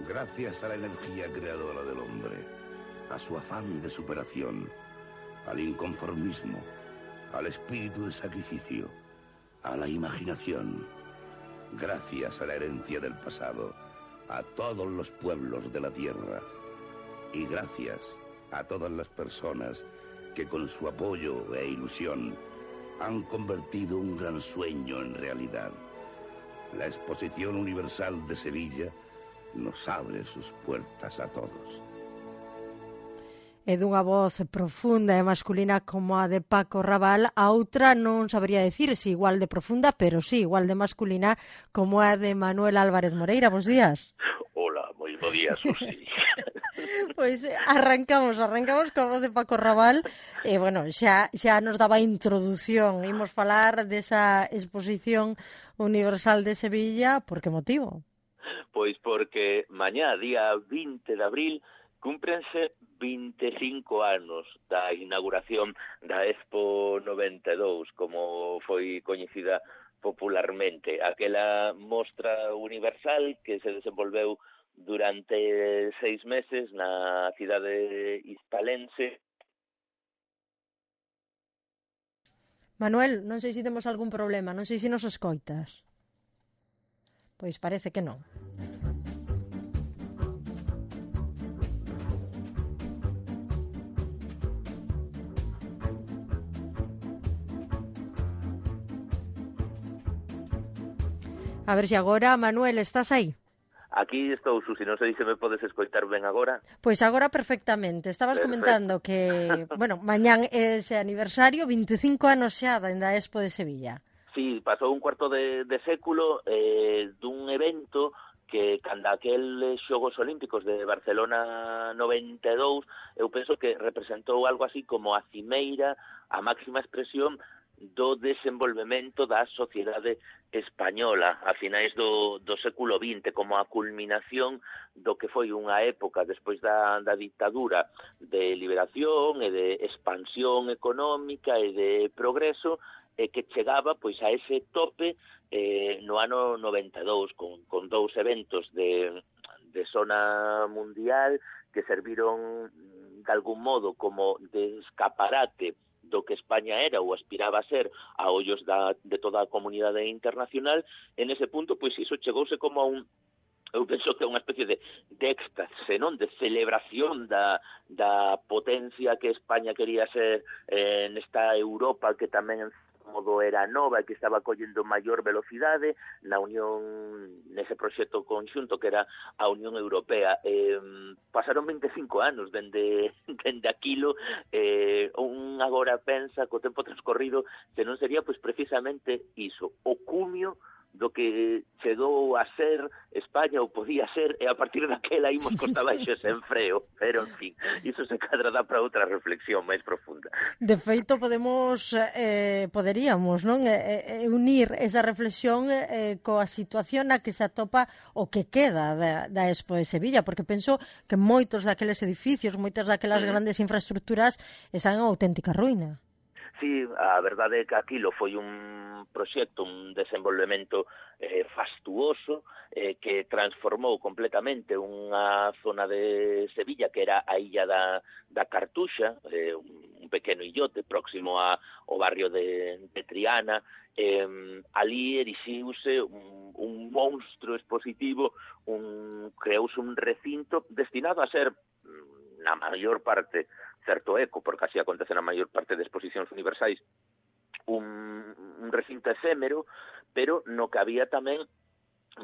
Gracias a la energía creadora del hombre, a su afán de superación, al inconformismo, al espíritu de sacrificio, a la imaginación, gracias a la herencia del pasado, a todos los pueblos de la tierra, y gracias a todas las personas que con su apoyo e ilusión han convertido un gran sueño en realidad. La Exposición Universal de Sevilla nos abre sus puertas a todos. É dunha voz profunda e masculina como a de Paco Raval, a outra non sabería decir se igual de profunda, pero sí, igual de masculina como a de Manuel Álvarez Moreira. Bos días. Hola, moi bo día, Susi. Pois arrancamos coa voz de Paco Raval e, bueno, xa nos daba a introdución. Imos falar desa Exposición Universal de Sevilla. Por que motivo? Pois porque mañá, día 20 de abril, cúmprense 25 anos da inauguración da Expo 92, como foi coñecida popularmente. Aquela mostra universal que se desenvolveu durante 6 meses na cidade hispalense. Manuel, non sei se temos algún problema, non sei se nos escoitas. Pois parece que non. A ver se agora, Manuel, estás aí? Aquí estou, Susi, non sei se me podes escoitar ben agora. Pois agora perfectamente. Estabas comentando que, bueno, mañán é ese aniversario, 25 anos xa da Expo de Sevilla. Sí, pasou un cuarto de século dun evento que cando aqueles Xogos Olímpicos de Barcelona 92, eu penso que representou algo así como a cimeira, a máxima expresión do desenvolvemento da sociedade española a finais do século XX, como a culminación do que foi unha época despois da ditadura de liberación e de expansión económica e de progreso, que chegaba pois a ese tope no ano 92 con dous eventos de zona mundial que serviron de algún modo como de escaparate do que España era ou aspiraba a ser a ollos de toda a comunidade internacional. En ese punto, pois iso chegouse como a eu penso que é unha especie de éxtase, non? De celebración da potencia que España quería ser nesta Europa que tamén en modo era nova e que estaba collendo maior velocidade na Unión, nese proxecto conxunto que era a Unión Europea. Pasaron 25 anos dende aquilo, un agora pensa co tempo transcorrido se non sería pois precisamente iso, o cumio do que chegou a ser España ou podía ser, e a partir daquela imos costa baixo sen freo, pero en fin, iso se cadra dá para outra reflexión máis profunda. De feito, poderíamos, non, unir esa reflexión coa situación na que se atopa o que queda da Expo de Sevilla, porque penso que moitos daqueles edificios, moitas daquelas grandes infraestructuras están en auténtica ruína. Sí, a verdade é que aquilo foi un proxecto, un desenvolvemento fastuoso que transformou completamente unha zona de Sevilla que era a illa da Cartuxa, un pequeno illote próximo ao barrio de Triana. Ali erixiuse un monstro expositivo, creouse un recinto destinado a ser na maior parte certo eco, porque así acontece na maior parte de exposicións universais, un recinto efémero, pero no que había tamén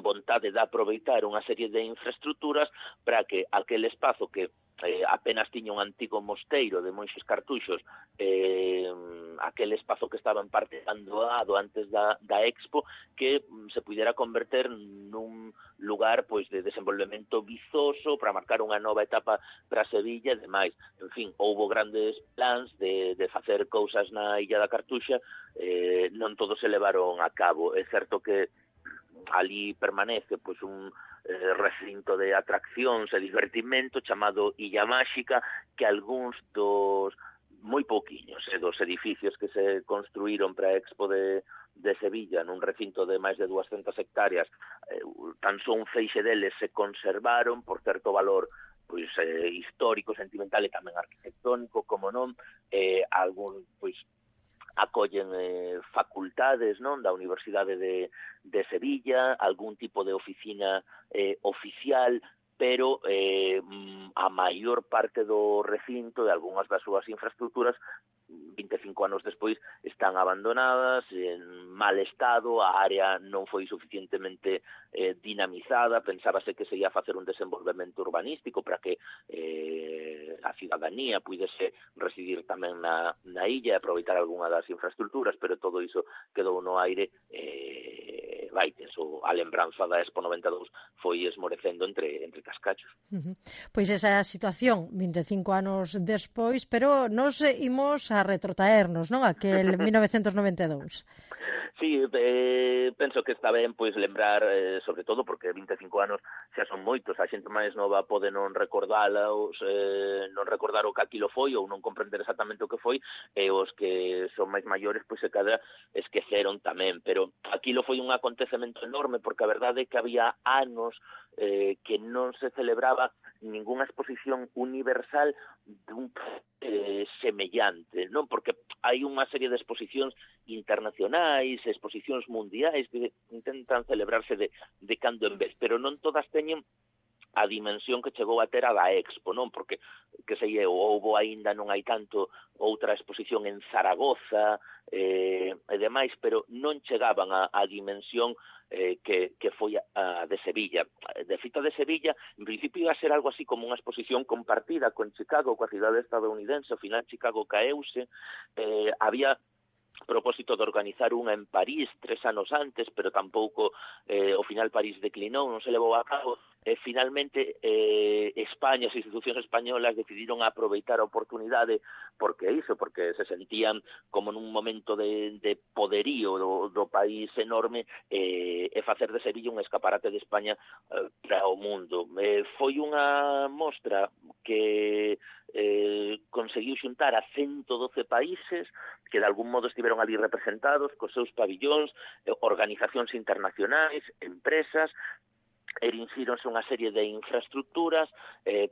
vontade de aproveitar unha serie de infraestructuras para que aquel espazo que apenas tiña un antigo mosteiro de monxes cartuxos, aquel espazo que estaba en parte abandonado antes da Expo, que se pudera converter nun lugar pois de desenvolvemento vizoso para marcar unha nova etapa para Sevilla e demais. En fin, houbo grandes plans de facer cousas na Illa da Cartuxa, non todos se levaron a cabo. É certo que ali permanece pois un recinto de atraccións e divertimento chamado Illa Máxica, que algúns dos moi pouquiños dos edificios que se construíron para a Expo de de Sevilla, nun recinto de máis de 200 hectáreas, tan só un feixe deles se conservaron por certo valor pois histórico, sentimental e tamén arquitectónico, como non, algún pois acollen facultades, non, da Universidade de Sevilla, algún tipo de oficina oficial, pero a maior parte do recinto e algunhas das súas infraestructuras 25 anos despois están abandonadas, en mal estado, a área non foi suficientemente dinamizada, pensábase que se ia facer un desenvolvemento urbanístico para que a cidadanía puidese residir tamén na illa e aproveitar algunha das infraestructuras, pero todo iso quedou no aire a lembranza da Expo 92 foi esmorecendo entre cascachos. Pois esa situación 25 anos despois, pero nos imos a retrotraernos, non? Aquel 1992. Sí, penso que está ben pois lembrar, sobre todo porque 25 anos xa son moitos, a xente máis nova pode non recordalos, non recordar o que aquilo foi ou non comprender exactamente o que foi, e os que son máis maiores pois se cadra esqueceron tamén, pero aquilo foi un acontecemento enorme porque a verdade é que había anos que non se celebraba ningunha exposición universal dun semellante, non? Porque hai unha serie de exposicións internacionais, exposicións mundiais que intentan celebrarse de cando en vez, pero non todas teñen a dimensión que chegou a ter a da Expo, non? Porque, que sei eu, houbo aínda non hai tanto outra exposición en Zaragoza e demais, pero non chegaban a dimensión que foi a de Sevilla. De feito, de Sevilla, en principio iba a ser algo así como unha exposición compartida con Chicago, coa cidade estadounidense, ao final Chicago caeuse, había propósito de organizar unha en París 3 anos antes, pero tampouco ao final París declinou, non se levou a cabo. Finalmente, España, as institucións españolas decidiron aproveitar a oportunidade porque se sentían como nun momento de poderío do país enorme e facer de Sevilla un escaparate de España para o mundo. Foi unha mostra que conseguiu xuntar a 112 países que de algún modo estiveron ali representados cos seus pabillóns, organizacións internacionais, empresas, erinsíronse unha serie de infraestructuras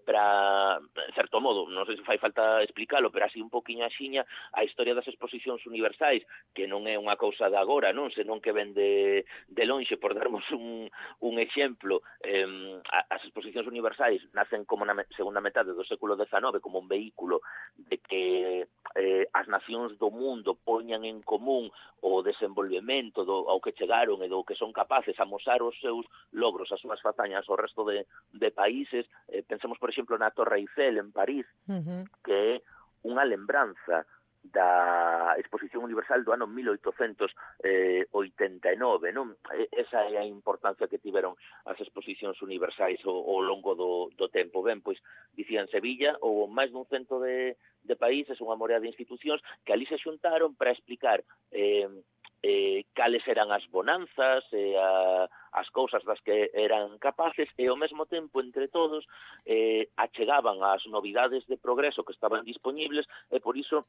para, en certo modo, non sei se fai falta explicarlo, pero así un poquinho axiña a historia das exposicións universais, que non é unha cousa de agora, non, senón que ven de lonxe, por darmos un exemplo. As exposicións universais nacen como na segunda metade do século XIX como un vehículo de que as nacións do mundo poñan en común o desenvolvemento ao que chegaron e do que son capaces, amosar os seus logros, as súas fazañas ao resto de países. Pensemos, por exemplo, na Torre Eiffel en París, que é unha lembranza da Exposición Universal do ano 1889, non? Esa é a importancia que tiveron as exposicións universais ao longo do tempo. Ben, pois, dicían Sevilla, ou máis dun cento de países, unha morea de institucións que ali se xuntaron para explicar cales eran as bonanzas e as cousas das que eran capaces e ao mesmo tempo entre todos achegaban as novidades de progreso que estaban disponibles e por iso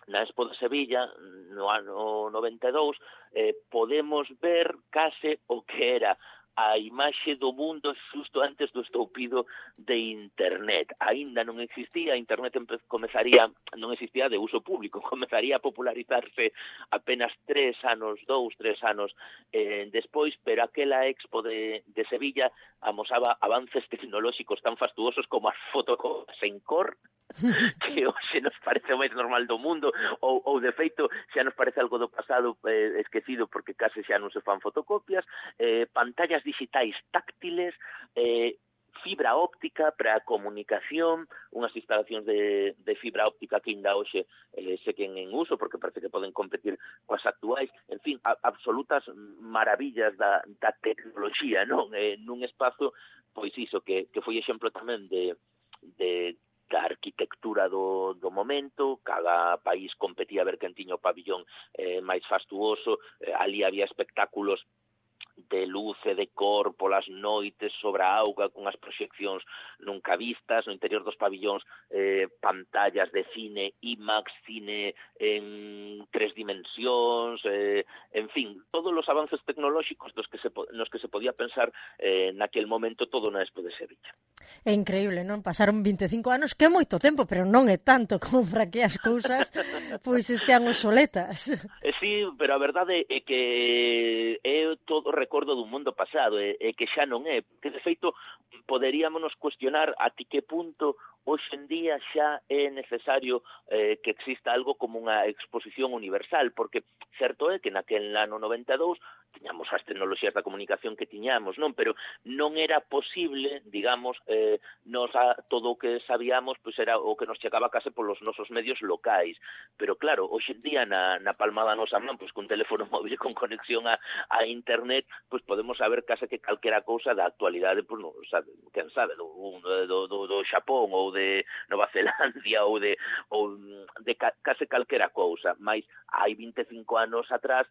na Expo de Sevilla no ano 92 podemos ver case o que era a imaxe do mundo xusto antes do estoupido de Internet. Aínda non existía, Internet non existía de uso público, comezaría a popularizarse apenas 3 anos despois, pero aquela Expo de Sevilla amosaba avances tecnolóxicos tan fastuosos como as fotocopias en cor, que hoxe nos parece o máis normal do mundo, ou de feito xa nos parece algo do pasado esquecido porque case xa non se fan fotocopias, pantallas digitais táctiles, fibra óptica para a comunicación, unhas instalacións de fibra óptica que ainda hoxe seguen en uso porque parece que poden competir coas actuais, en fin, absolutas maravillas da tecnoloxía, non? Nun espazo, pois iso, que foi exemplo tamén da arquitectura do momento, cada país competía a ver quen tiña o pabillón máis fastuoso, ali había espectáculos de luz e de cor polas noites sobre a auga, con as proxeccións nunca vistas, no interior dos pabillóns pantallas de cine IMAX, cine en 3 dimensións, en fin, todos os avances tecnolóxicos nos que se podía pensar naquel momento todo na Expo de Sevilla. É increíble, non? Pasaron 25 anos, que é moito tempo, pero non é tanto como para que as cousas pois estean obsoletas. Sí, pero a verdade é que é todo recordo dun mundo pasado, é que xa non é, que de feito poderíamos cuestionar a ti que punto hoxe en día xa é necesario que exista algo como unha exposición universal, porque certo é que naquel ano 92 tiñamos as tecnoloxías da comunicación que tiñamos, non? Pero non era posible, digamos, todo o que sabíamos pois era o que nos chegaba case polos nosos medios locais. Pero claro, hoxe en día na palma da nosa man, pois con teléfono móvil con conexión a internet, pois podemos saber case que calquera cousa da actualidade, pois non sabe, quen sabe, do Xapón ou de Nova Zelandia ou de case calquera cousa, mas hai 25 anos atrás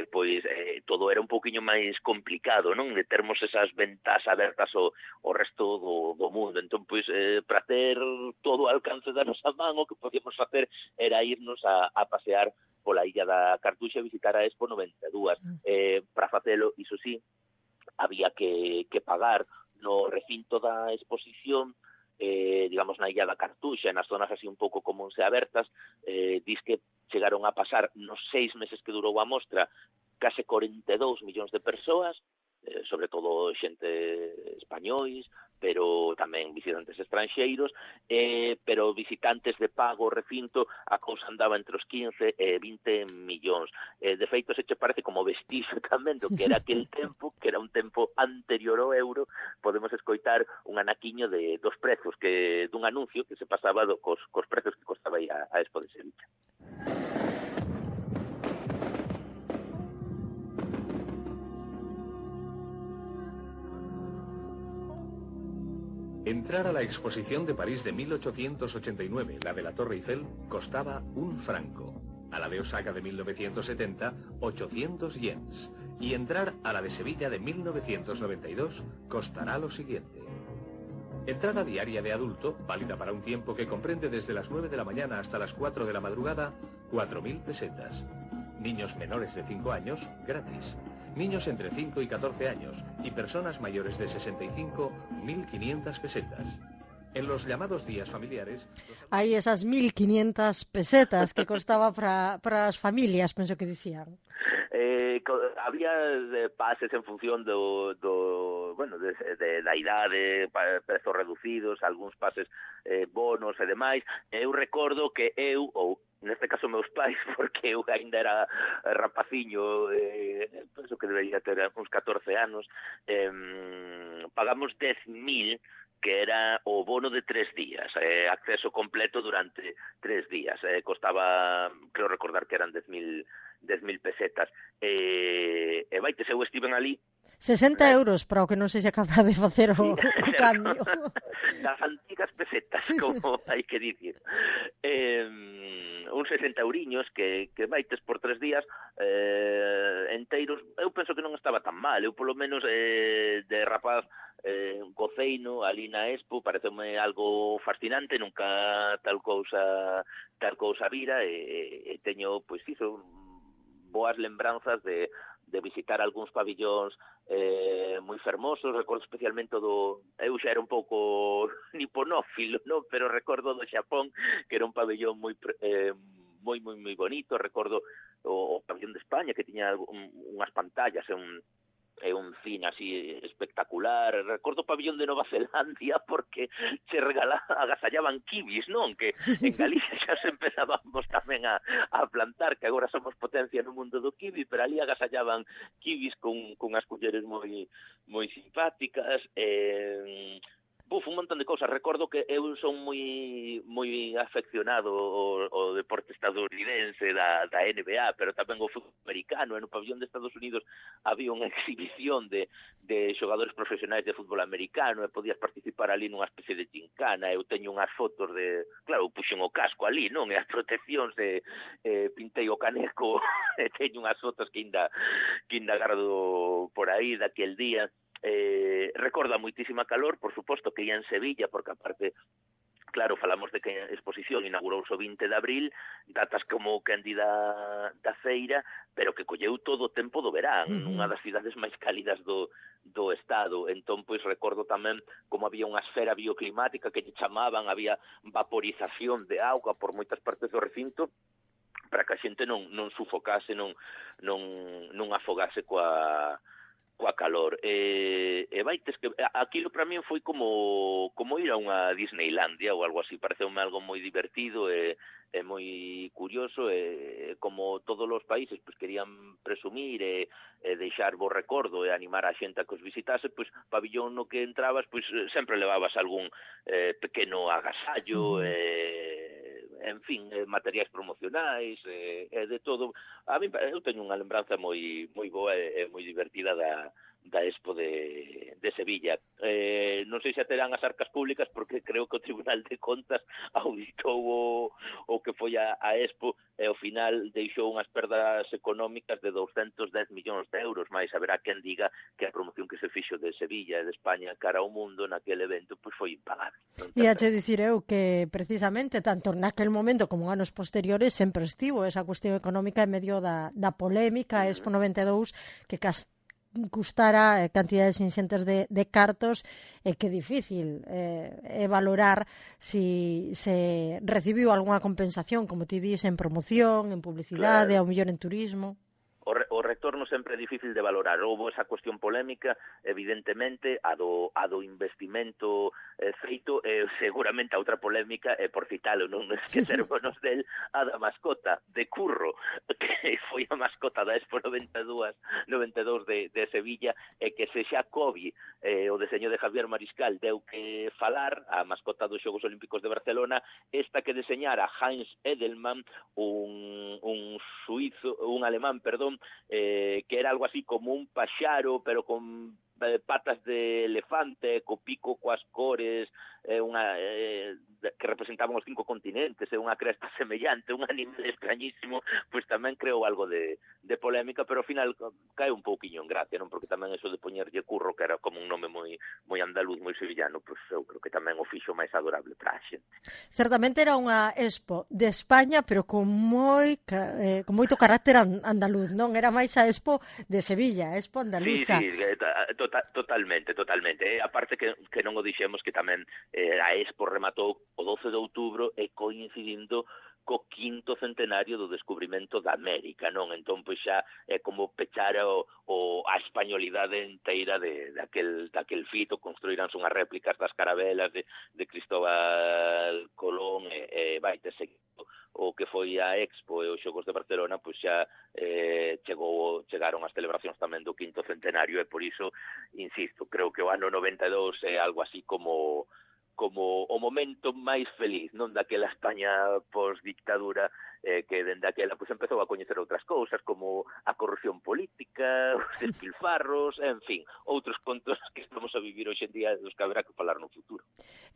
pois todo era un pouquiño máis complicado, non? De termos esas ventas abertas ao resto do mundo. Entón, pois, para ter todo o alcance da nosa man, o que podíamos facer era irnos a pasear pola Illa da Cartuxa e visitar a Expo 92. Para facelo, iso sí, había que pagar no recinto da exposición, digamos, na Illa da Cartuxa, nas zonas así un pouco comuns e abertas, dis que chegaron a pasar nos 6 meses que durou a mostra case 42 millóns de persoas, sobre todo xente españois, pero tamén visitantes estranxeiros, pero visitantes de pago recinto a cousa andaba entre os 15 e 20 millóns. De feito, se che parece como vestirse tamén do que era aquel tempo, que era un tempo anterior ao euro, podemos escoitar un anaquiño dos prezos dun anuncio que se pasaba cos prezos que costaba aí a Expo de Sevilla. Entrar a la exposición de París de 1889, la de la Torre Eiffel, costaba 1 franco. A la de Osaka de 1970, 800 yens. Y entrar a la de Sevilla de 1992 costará lo siguiente. Entrada diaria de adulto, válida para un tiempo que comprende desde las 9 de la mañana hasta las 4 de la madrugada, 4.000 pesetas. Niños menores de 5 años, gratis. Niños entre 5 y 14 años y personas mayores de 65, 1.500 pesetas. En los llamados días familiares... Hai esas 1.500 pesetas que costaba para as familias, penso que dicían. Había pases en función da idade, prezos reducidos, algúns pases bonos e demais. Eu recordo que ou neste caso meus pais, porque eu ainda era rapaciño, penso que debería ter uns 14 anos, pagamos 10.000, que era o bono de 3 días, acceso completo durante 3 días. Costaba, creo recordar que eran 10.000 pesetas. E vaites, eu estiven ali 60 euros para o que non sei se é capaz de facer o cambio. Das antigas pesetas, como hai que dicir. Uns 60 euriños que vaites por 3 días enteiros. Eu penso que non estaba tan mal. Eu, polo menos, de rapaz goceino ali na Expo, pareceume algo fascinante, nunca tal cousa vira, e teño, pois, iso, boas lembranzas de visitar algúns pabillóns moi fermosos. Recordo especialmente eu xa era un pouco niponófilo, non? Pero recordo do Xapón, que era un pabillón moi bonito. Recordo o pabillón de España, que tiña unhas pantallas e un cine así espectacular. Recordo o pabillón de Nova Zelandia, porque se agasallaban kibis, non? Que en Galicia xa se empezábamos tamén a plantar, que agora somos potencia no mundo do kiwi, pero ali agasallaban kibis con as culleres moi simpáticas. un montón de cousas. Recordo que eu son moi afeccionado ao deporte estadounidense da NBA, pero tamén o fútbol americano. No pabellón de Estados Unidos había unha exhibición de xogadores profesionais de fútbol americano e podías participar ali nunha especie de gincana. Eu teño unhas fotos de... Claro, puxen o casco ali, non? E as proteccións pintei o caneco e teño unhas fotos que ainda gardo por aí daquel día. Recorda moitísima calor, por suposto que ia en Sevilla, porque aparte, claro, falamos de que a exposición inaugurouse o 20 de abril, datas como candida da feira, pero que colleu todo o tempo do verán, unha das cidades máis cálidas do estado. Entón, pois, recordo tamén como había unha esfera bioclimática que lle chamaban, había vaporización de auga por moitas partes do recinto, para que a xente non sufocase, non afogase coa calor. Vaites que aquilo para min foi como ir a unha Disneylandia ou algo así. Pareceume algo moi divertido e moi curioso, e como todos os países pois querían presumir e deixar bo recordo e animar a xente a que os visitase, pois pabillón no que entrabas pois sempre levabas algún pequeno agasallo, en fin, materiais promocionais, de todo. A mí, eu teño unha lembranza moi boa e moi divertida da Expo de Sevilla. Non sei se terán as arcas públicas, porque creo que o Tribunal de Contas auditou o que foi a Expo e ao final deixou unhas perdas económicas de 210 millóns de euros, máis haberá quen diga que a promoción que se fixo de Sevilla e de España cara ao mundo naquele evento pois foi impagable. E a che dicir eu que precisamente tanto naquel momento como anos posteriores sempre estivo esa cuestión económica en medio da polémica Expo 92 que custara cantidades inxentes de cartos, e que difícil valorar si se recibiu algunha compensación, como ti dis, en promoción, en publicidade, ao mellor en turismo. O retorno sempre é difícil de valorar. Houve esa cuestión polémica, evidentemente, a do investimento feito, seguramente a outra polémica, por citalo, non esquecermonos del, a da mascota de Curro, que foi a mascota da Expo 92 de Sevilla, e que se xa Kobe, o deseño de Javier Mariscal, deu que falar, a mascota dos Xogos Olímpicos de Barcelona, esta que deseñara Heinz Edelman, un alemán, que era algo así como un paxaro, pero con patas de elefante, co pico coas cores, que representaban os 5 continentes, unha cresta semellante, un animal extrañísimo, pois tamén creou algo de polémica, pero ao final cae un pouquiño en gracia, non? Porque tamén eso de poñerlle Curro, que era como un nome moi andaluz, moi sevillano, pois eu creo que tamén o fixo máis adorable para a xente. Certamente era unha Expo de España, pero con moito carácter andaluz, non? Era máis a Expo de Sevilla, a Expo andaluza. Sí, totalmente. Aparte que non o dixemos, que tamén a Expo rematou o 12 de outubro e coincidindo co 5º centenario do descubrimento da América, non? Entón, pois xa é como pechar a españolidade inteira daquel fito. Construiránse unhas réplicas das carabelas de Cristóbal Colón, e vai ter seguido o que foi a Expo e os Xogos de Barcelona, pois xa chegaron as celebracións tamén do 5º centenario, e por iso, insisto, creo que o ano 92 é algo así como o momento máis feliz, non, daquela España post-dictadura, que dende aquela pois empezou a coñecer outras cousas, como a corrupción política, os despilfarros, en fin, outros contos que estamos a vivir hoxe en día, dos que haberá que falar no futuro.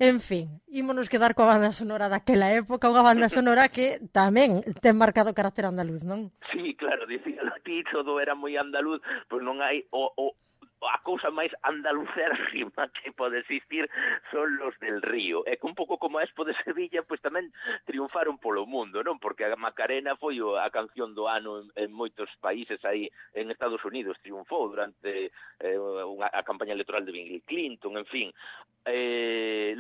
En fin, ímonos quedar coa banda sonora daquela época, unha banda sonora que tamén ten marcado carácter andaluz, non? Sí, claro, dicíalo ti, todo era moi andaluz, pois non hai a cousa máis andaluzérrima que pode existir son los del Río. É que un pouco como a Expo de Sevilla, pois tamén triunfaron polo mundo, non? Porque a Macarena foi a canción do ano en moitos países, aí en Estados Unidos triunfou durante a campaña electoral de Bill Clinton, en fin.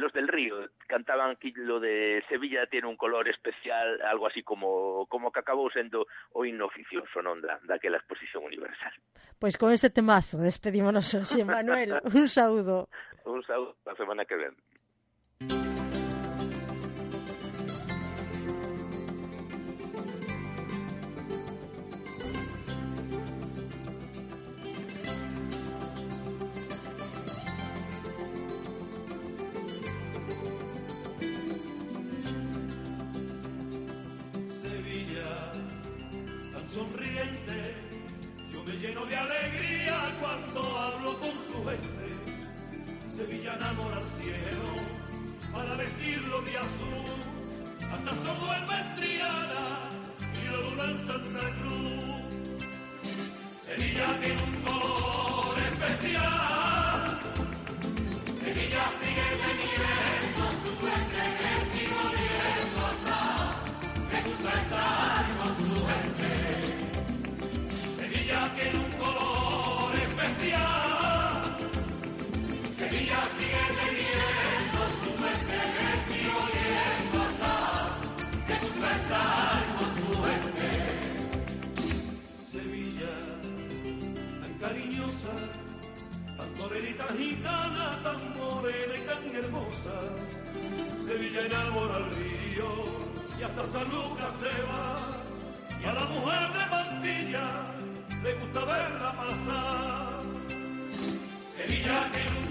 Los del Río cantaban aquí lo de Sevilla tiene un color especial, algo así como que acabou sendo o himno oficioso, non, daquela exposición universal. Pois con ese temazo despedímonos hoxe, Manuel. Un saúdo. Un saúdo, a semana que ven. Sevilla enamora al cielo para vestirlo de azul, hasta el sordo en Triana y la luna en Santa Cruz. Sevilla tiene un color especial, Sevilla sigue teniendo su fuente que sigue oliendo hasta, me gusta estar con su gente. Sevilla tiene un color especial, Sevilla sigue teniendo su fuente que sigue oliendo hasta, me gusta estar con su gente. Sevilla, tan cariñosa, tan torerita gitana, tan morena y tan hermosa. Sevilla enamora al río y hasta San Lucas se va. Y a la mujer de Mantilla le gusta verla pasar. Sevilla tiene un